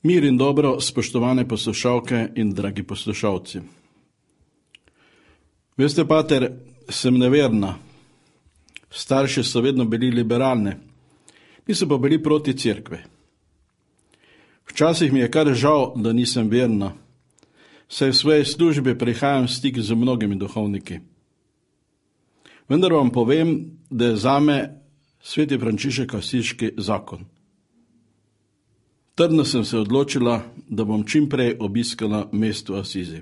Mir in dobro, spoštovane poslušalke in dragi poslušalci. Veste, pater, sem neverna. Starši so vedno bili liberalni, niso pa bili proti cerkve. Včasih mi je kar žal, da nisem verna, saj v svoji službi prihajam v stik z mnogimi duhovniki. Vendar vam povem, da je zame sveti Frančišek Asiški zakon. Trdno sem se odločila, da bom čim prej obiskala mesto Asizi.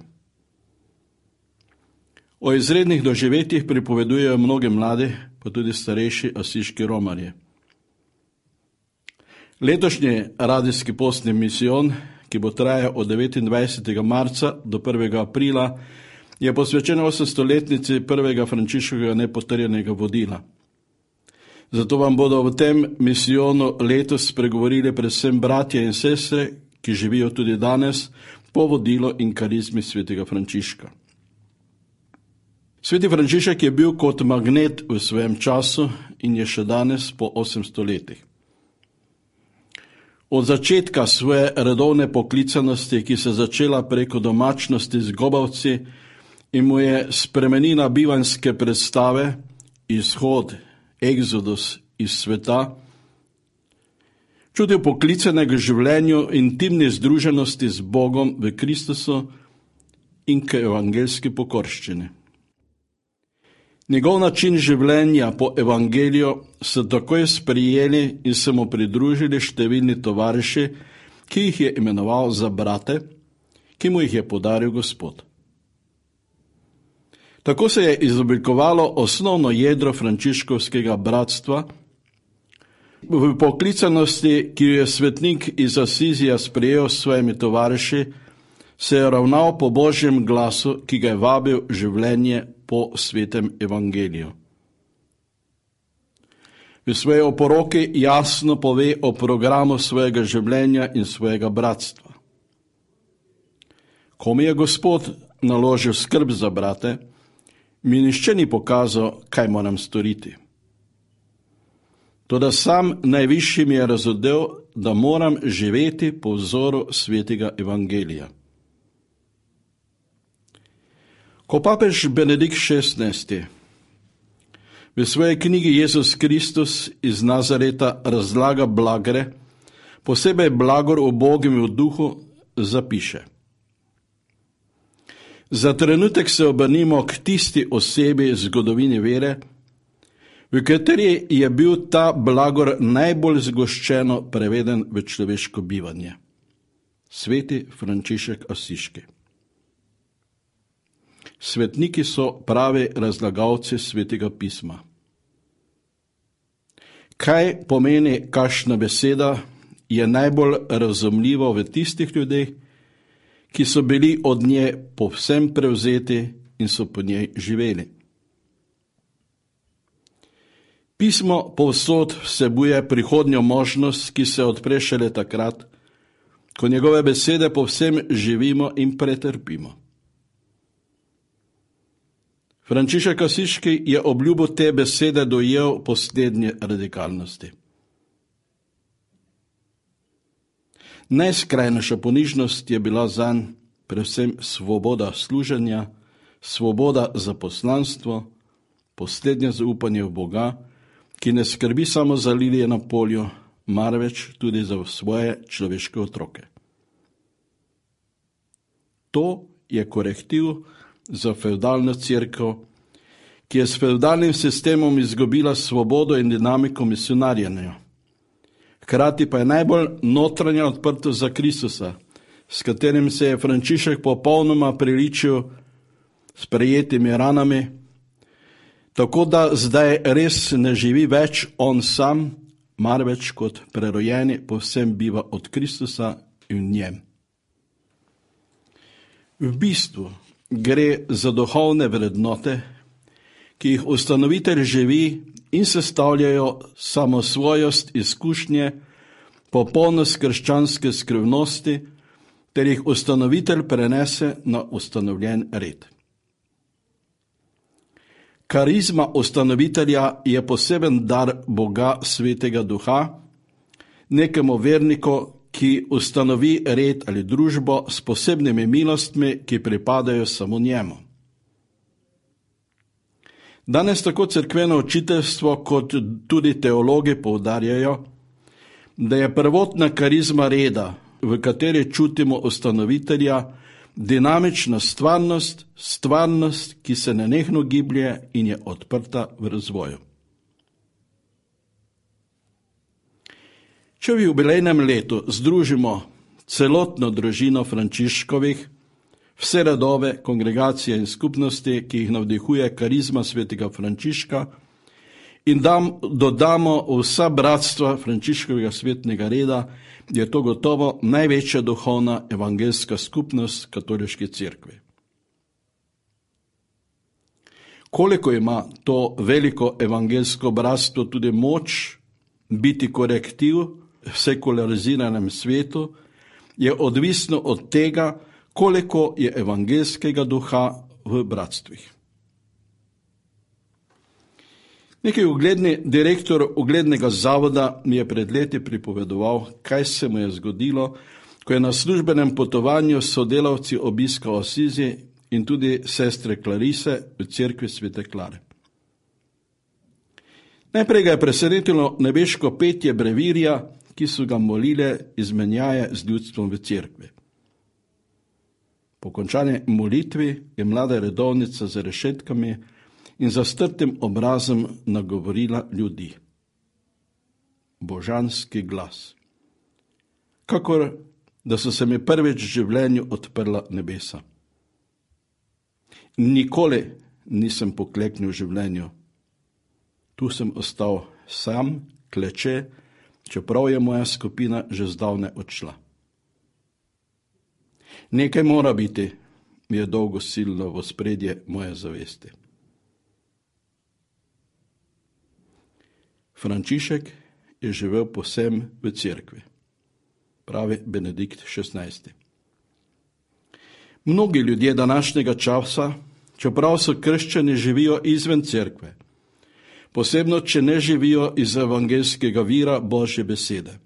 O izrednih doživetjih pripovedujejo mnogi mladi, pa tudi starejši asiški romarji. Letošnji radijski postni misijon, ki bo trajal od 29. marca do 1. aprila, je posvečen 800-letnici prvega Frančiškovega nepotrjenega vodila. Zato vam bodo v tem misijonu letos spregovorili predvsem bratje in sestre, ki živijo tudi danes po vodilu in karizmi svetega Frančiška. Sveti Frančišek je bil kot magnet v svojem času in je še danes po 800 letih. Od začetka svoje redovne poklicanosti, ki se začela preko domačnosti z gobavci in mu je spremenila bivanjske predstave, izhod, exodus iz sveta, čutil poklicanega življenju, intimne združenosti z Bogom v Kristusu in k evangeljski pokorščini. Njegov način življenja po evangeliju so takoj sprijeli in se mu pridružili številni tovariši, ki jih je imenoval za brate, ki mu jih je podaril Gospod. Tako se je izoblikovalo osnovno jedro frančiškovskega bratstva. V poklicanosti, ki jo je svetnik iz Asizija sprejel s svojimi tovariši, se je ravnal po Božjem glasu, ki ga je vabil življenje po svetem evangeliju. V svoji oporoki jasno pove o programu svojega življenja in svojega bratstva. Ko mi je Gospod naložil skrb za brate, mi nihče ni pokazal, kaj moram storiti. Toda sam najvišji mi je razodel, da moram živeti po vzoru svetega evangelija. Ko papež Benedikt XVI v svoji knjigi Jezus Kristus iz Nazareta razlaga blagre, posebej blagor ubogim v duhu, zapiše: Za trenutek se obrnimo k tisti osebi zgodovine vere, v kateri je bil ta blagor najbolj zgoščeno preveden v človeško bivanje. Sveti Frančišek Asiški. Svetniki so pravi razlagalci svetega pisma. Kaj pomeni kakšna beseda, je najbolj razumljivo v tistih ljudeh, ki so bili od nje povsem prevzeti in so po njej živeli. Pismo povsod vsebuje prihodnjo možnost, ki se odpre šele takrat, ko njegove besede povsem živimo in pretrpimo. Frančišek Asiški je obljubo te besede dojel po slednje radikalnosti. Najskrajnejša ponižnost je bila zanj predvsem svoboda služenja, svoboda za poslanstvo, poslednje zaupanje v Boga, ki ne skrbi samo za lilije na polju, marveč tudi za svoje človeške otroke. To je korektiv za fevdalno cerkev, ki je s fevdalnim sistemom izgubila svobodo in dinamiko misionarjenja. Hkrati pa je najbolj notranja odprtost za Kristusa, s katerim se je Frančišek popolnoma priličil s prejetimi ranami, tako da zdaj res ne živi več on sam, marveč kot prerojeni povsem biva od Kristusa in v njem. V bistvu gre za duhovne vrednote, ki jih ustanovitelj živi in sestavljajo samosvojost izkušnje, popolnost krščanske skrivnosti, ter jih ustanovitelj prenese na ustanovljen red. Karizma ustanovitelja je poseben dar Boga Svetega Duha, nekemu verniku, ki ustanovi red ali družbo s posebnimi milostmi, ki pripadajo samo njemu. Danes tako cerkveno učiteljstvo kot tudi teologi poudarjajo, da je prvotna karizma reda, v kateri čutimo ustanovitelja, dinamična stvarnost, ki se nenehno giblje in je odprta v razvoju. Če v jubilejnem letu združimo celotno družino Frančiškovih, vse redove, kongregacije in skupnosti, ki jih navdihuje karizma svetega Frančiška, in dodamo vsa bratstva Frančiškovega svetnega reda, je to gotovo največja duhovna evangeljska skupnost katoliške cerkve. Koliko ima to veliko evangeljsko bratstvo tudi moč biti korektiv v sekulariziranem svetu, je odvisno od tega, koliko je evangeljskega duha v bratstvih. Neki ugledni direktor uglednega zavoda mi je pred leti pripovedoval, kaj se mu je zgodilo, ko je na službenem potovanju s sodelavci obiskal Asizi in tudi sestre Klarise v cerkvi Svete Klare. Najprej ga je presenetilo nebeško petje brevirja, ki so ga molile izmenjaje z ljudstvom v cerkvi. Po končani molitvi je mlada redovnica za rešetkami in zastrtim obrazom nagovorila ljudi. Božanski glas. Kakor da so se mi prvič v življenju odprla nebesa. Nikoli nisem pokleknil v življenju. Tu sem ostal sam, kleče, čeprav je moja skupina že zdavnaj odšla. Nekaj mora biti, mi je dolgo silno v ospredje moje zavesti. Frančišek je živel povsem v cerkvi, pravi Benedikt XVI. Mnogi ljudje današnjega časa, čeprav so krščani, živijo izven cerkve, posebno če ne živijo iz evangeljskega vira Božje besede.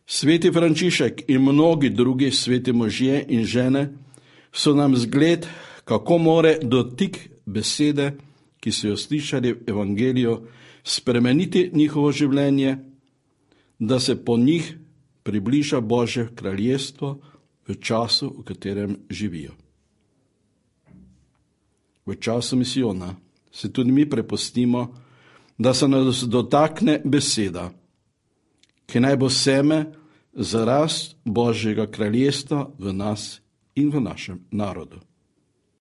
Sveti Frančišek in mnogi drugi sveti možje in žene so nam zgled, kako more dotik besede, ki so jo slišali v evangeliju, spremeniti njihovo življenje, da se po njih približa Božje kraljestvo v času, v katerem živijo. V času misijona se tudi mi prepustimo, da se nas dotakne beseda, ki naj bo seme za rast Božjega kraljestva v nas in v našem narodu.